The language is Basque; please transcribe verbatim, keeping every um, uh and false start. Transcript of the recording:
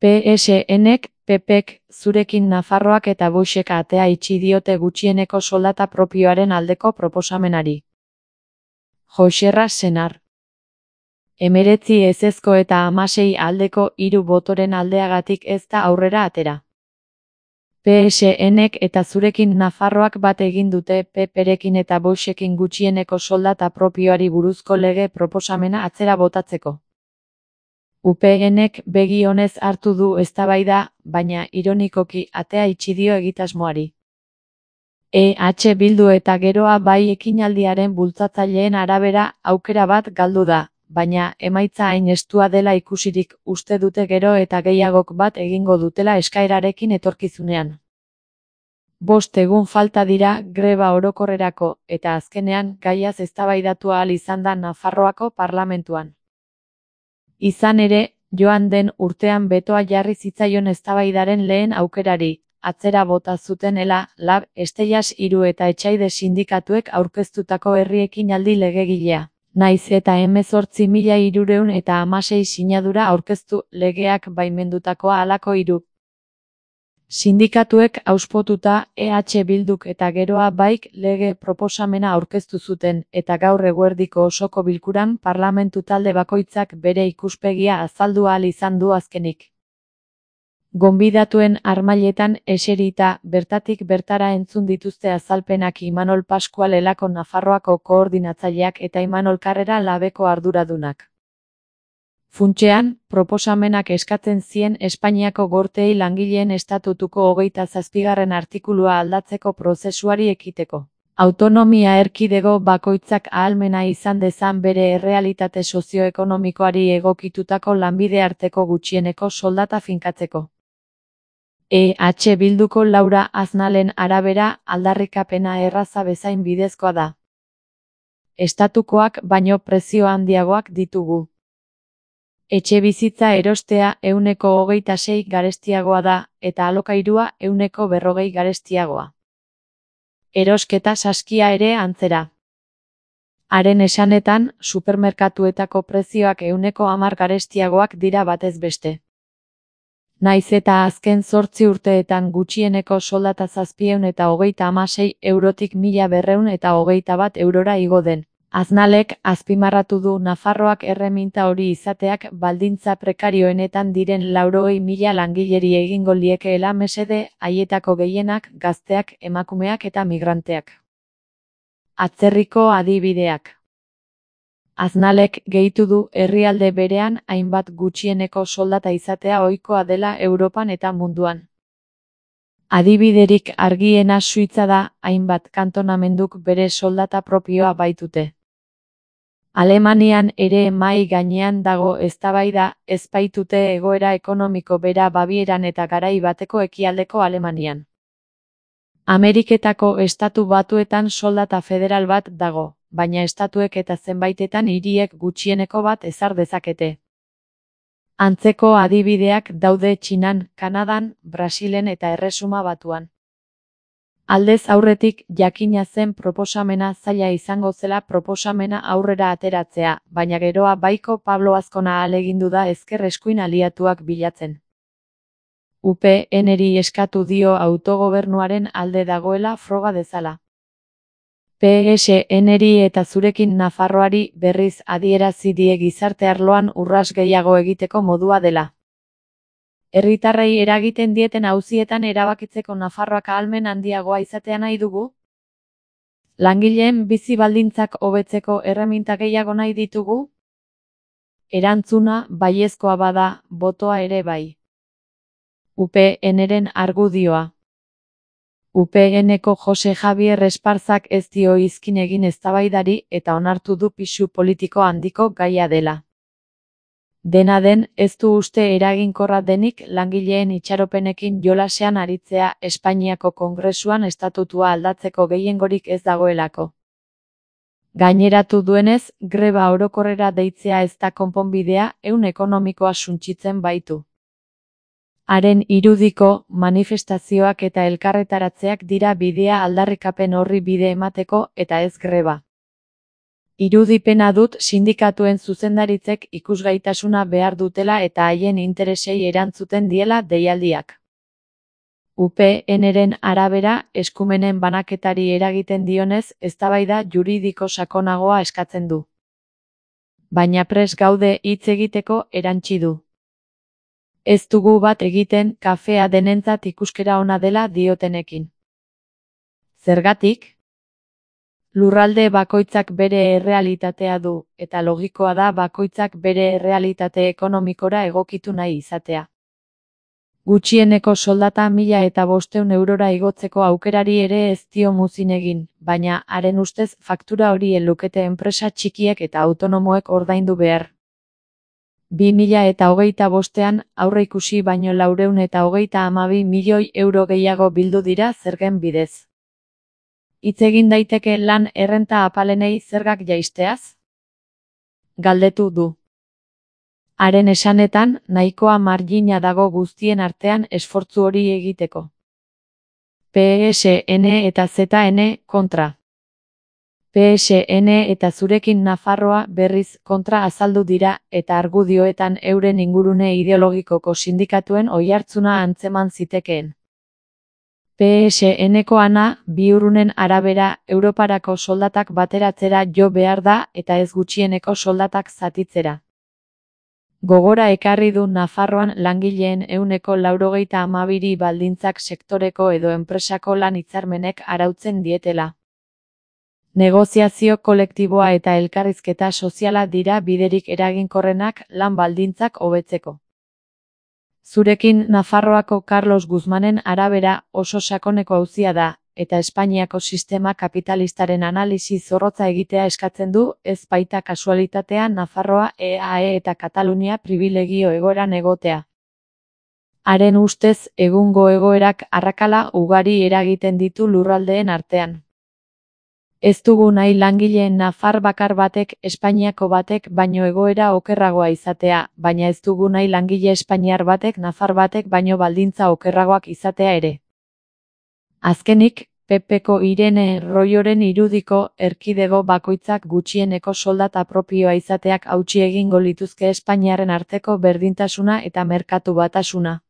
P S N-ek, P P-ek, zurekin Nafarroak eta Voxek atea itxi diote gutxieneko soldata propioaren aldeko proposamenari. Joxerra Senar. Hemeretzi ezezko eta hamasei aldeko hiru botoren aldeagatik ez da aurrera atera. P S N-ek eta zurekin Nafarroak bat egin dute P P-rekin eta Voxekin gutxieneko soldata propioari buruzko lege proposamena atzera botatzeko. U P N-ek begi onez hartu du eztabaida, baina ironikoki atea itxi dio egitasmoari. E H Bildu eta Geroa Bai ekinaldiaren bultzatzaileen arabera aukera bat galdu da, baina emaitza hain estua dela ikusirik uste dute gero eta gehiagok bat egingo dutela eskaerarekin etorkizunean. Bost egun falta dira greba orokorrerako eta azkenean gaiaz eztabaidatu ahal izan da Nafarroako parlamentuan. Izan ere, joan den urtean betoa jarri zitzaion eztabaidaren lehen aukerari, atzera bota zutenela, Lab, Estellas hiru eta Etxaide sindikatuek aurkeztutako herri ekinaldi legegilea. Naiz eta hemezortzi mila hirurehun eta hamasei sinadura aurkeztu legeak baimendutakoa halako hiru. Sindikatuek auspotuta E H Bilduk eta Geroa Baik lege proposamena aurkeztu zuten eta gaur eguerdiko osoko bilkuran parlamentu talde bakoitzak bere ikuspegia azaldu ahal izan du azkenik. Gonbidatuen harmailetan eserita bertatik bertara entzun dituzte azalpenak Imanol Pascual Elako Nafarroako koordinatzaileak eta Imanol Karrera Labeko arduradunak. Funtsean, proposamenak eskatzen zien Espainiako Gorteei langileen estatutuko hogeita zazpigarren artikulua aldatzeko prozesuari ekiteko. Autonomia erkidego bakoitzak ahalmena izan dezan bere errealitate sozioekonomikoari egokitutako lanbide arteko gutxieneko soldata finkatzeko. E H Bilduko Laura Aznalen arabera aldarrikapena erraza bezain bidezkoa da. Estatukoak baino prezio handiagoak ditugu. Etxebizitza erostea ehuneko hogeita sei garestiagoa da, eta alokairua ehuneko berrogei garestiagoa. Erosketa saskia ere antzera. Haren esanetan, supermerkatuetako prezioak ehuneko hamar garestiagoak dira batez beste. Naiz eta azken zortzi urteetan gutxieneko soldata zazpiehun eta hogeita hamasei eurotik mila berrehun eta hogeita bat eurora igo den. Aznalek azpimarratu du Nafarroak erreminta hori izateak baldintza prekarioenetan diren laurogei mila langileri egingo liekeela mesede, haietako gehienak gazteak, emakumeak eta migranteak. Atzerriko adibideak. Aznalek gehitu du herrialde berean hainbat gutxieneko soldata izatea ohikoa dela Europan eta munduan. Adibiderik argiena Suitza da, hainbat kantonamenduk bere soldata propioa baitute. Alemanian ere mahai gainean dago eztabaida, ez baitute egoera ekonomiko bera Babieran eta garai bateko ekialdeko Alemanian. Ameriketako estatu batuetan soldata federal bat dago, baina estatuek eta zenbaitetan hiriek gutxieneko bat ezar dezakete. Antzeko adibideak daude Txinan, Kanadan, Brasilen eta Erresuma Batuan. Aldez aurretik jakina zen proposamena zaila izango zela proposamena aurrera ateratzea, baina Geroa Baiko Pablo Azkona ahalegindu da ezker eskuin aliatuak bilatzen. U P N-eri eskatu dio autogobernuaren alde dagoela froga dezala. P S N-eri eta zurekin Nafarroari berriz adierazi die gizarte arloan urras gehiago egiteko modua dela. Herritarrei eragiten dieten auzietan erabakitzeko Nafarroak ahalmen handiagoa izatea nahi dugu? Langileen bizi baldintzak hobetzeko erreminta gehiago nahi ditugu? Erantzuna baiezkoa bada, botoa ere bai. U P N-ren argudioa. U P N-eko Jose Javier Esparzak ez dio izkin egin eztabaidari eta onartu du pisu politiko handiko gaia dela. Dena den, ez du uste eraginkorra denik langileen itxaropenekin jolasean aritzea Espainiako Kongresuan estatutua aldatzeko gehiengorik ez dagoelako. Gaineratu duenez, greba orokorrera deitzea ez da konponbidea, ehun ekonomikoa suntsitzen baitu. Haren irudiko, manifestazioak eta elkarretaratzeak dira bidea aldarrikapen horri bide emateko eta ez greba. Irudipena dut sindikatuen zuzendaritzek ikusgaitasuna behar dutela eta haien interesei erantzuten diela deialdiak. U P N-ren arabera, eskumenen banaketari eragiten dionez, eztabaida juridiko sakonagoa eskatzen du. Baina prest gaude hitz egiteko, erantsi du. Ez dugu bat egiten kafea denentzat ikuskera ona dela diotenekin. Zergatik? Lurralde bakoitzak bere errealitatea du, eta logikoa da bakoitzak bere errealitate ekonomikora egokitu nahi izatea. Gutxieneko soldata mila eta bostehun eurora igotzeko aukerari ere ez dio muzin egin, baina haren ustez faktura hori lukete enpresa txikiek eta autonomoek ordaindu behar. bi mila eta hogeita bostean aurreikusi baino laurehun eta hogeita hamabi milioi euro gehiago bildu dira zergen bidez. Hitz egin daiteke lan errenta apalenei zergak jaisteaz? Galdetu du. Haren esanetan, nahikoa margina dago guztien artean esfortzu hori egiteko. P S N eta Z N kontra. P S N eta zurekin Nafarroa berriz kontra azaldu dira eta argudioetan euren ingurune ideologikoko sindikatuen oihartzuna antzeman zitekeen. P S N-ko ana, Biurrunen arabera, Europarako soldatak bateratzera jo behar da eta ez gutxieneko soldatak zatitzera. Gogora ekarri du Nafarroan langileen ehuneko laurogeita hamabiri baldintzak sektoreko edo enpresako lan hitzarmenek arautzen dietela. Negoziazio kolektiboa eta elkarrizketa soziala dira biderik eraginkorrenak lan baldintzak hobetzeko. Zurekin Nafarroako Carlos Guzmanen arabera oso sakoneko auzia da, eta Espainiako sistema kapitalistaren analisi zorrotza egitea eskatzen du, ez baita kasualitatea Nafarroa, E A E eta Katalunia pribilegio egoeran egotea. Haren ustez, egungo egoerak arrakala ugari eragiten ditu lurraldeen artean. Ez dugu nahi langileen nafar bakar batek, Espainiako batek baino egoera okerragoa izatea, baina ez dugu nahi langile espainiar batek nafar batek baino baldintza okerragoak izatea ere. Azkenik, P P-ko Irene Royoren irudiko erkidego bakoitzak gutxieneko soldata propioa izateak hautsi egingo lituzke Espainiaren arteko berdintasuna eta merkatu batasuna.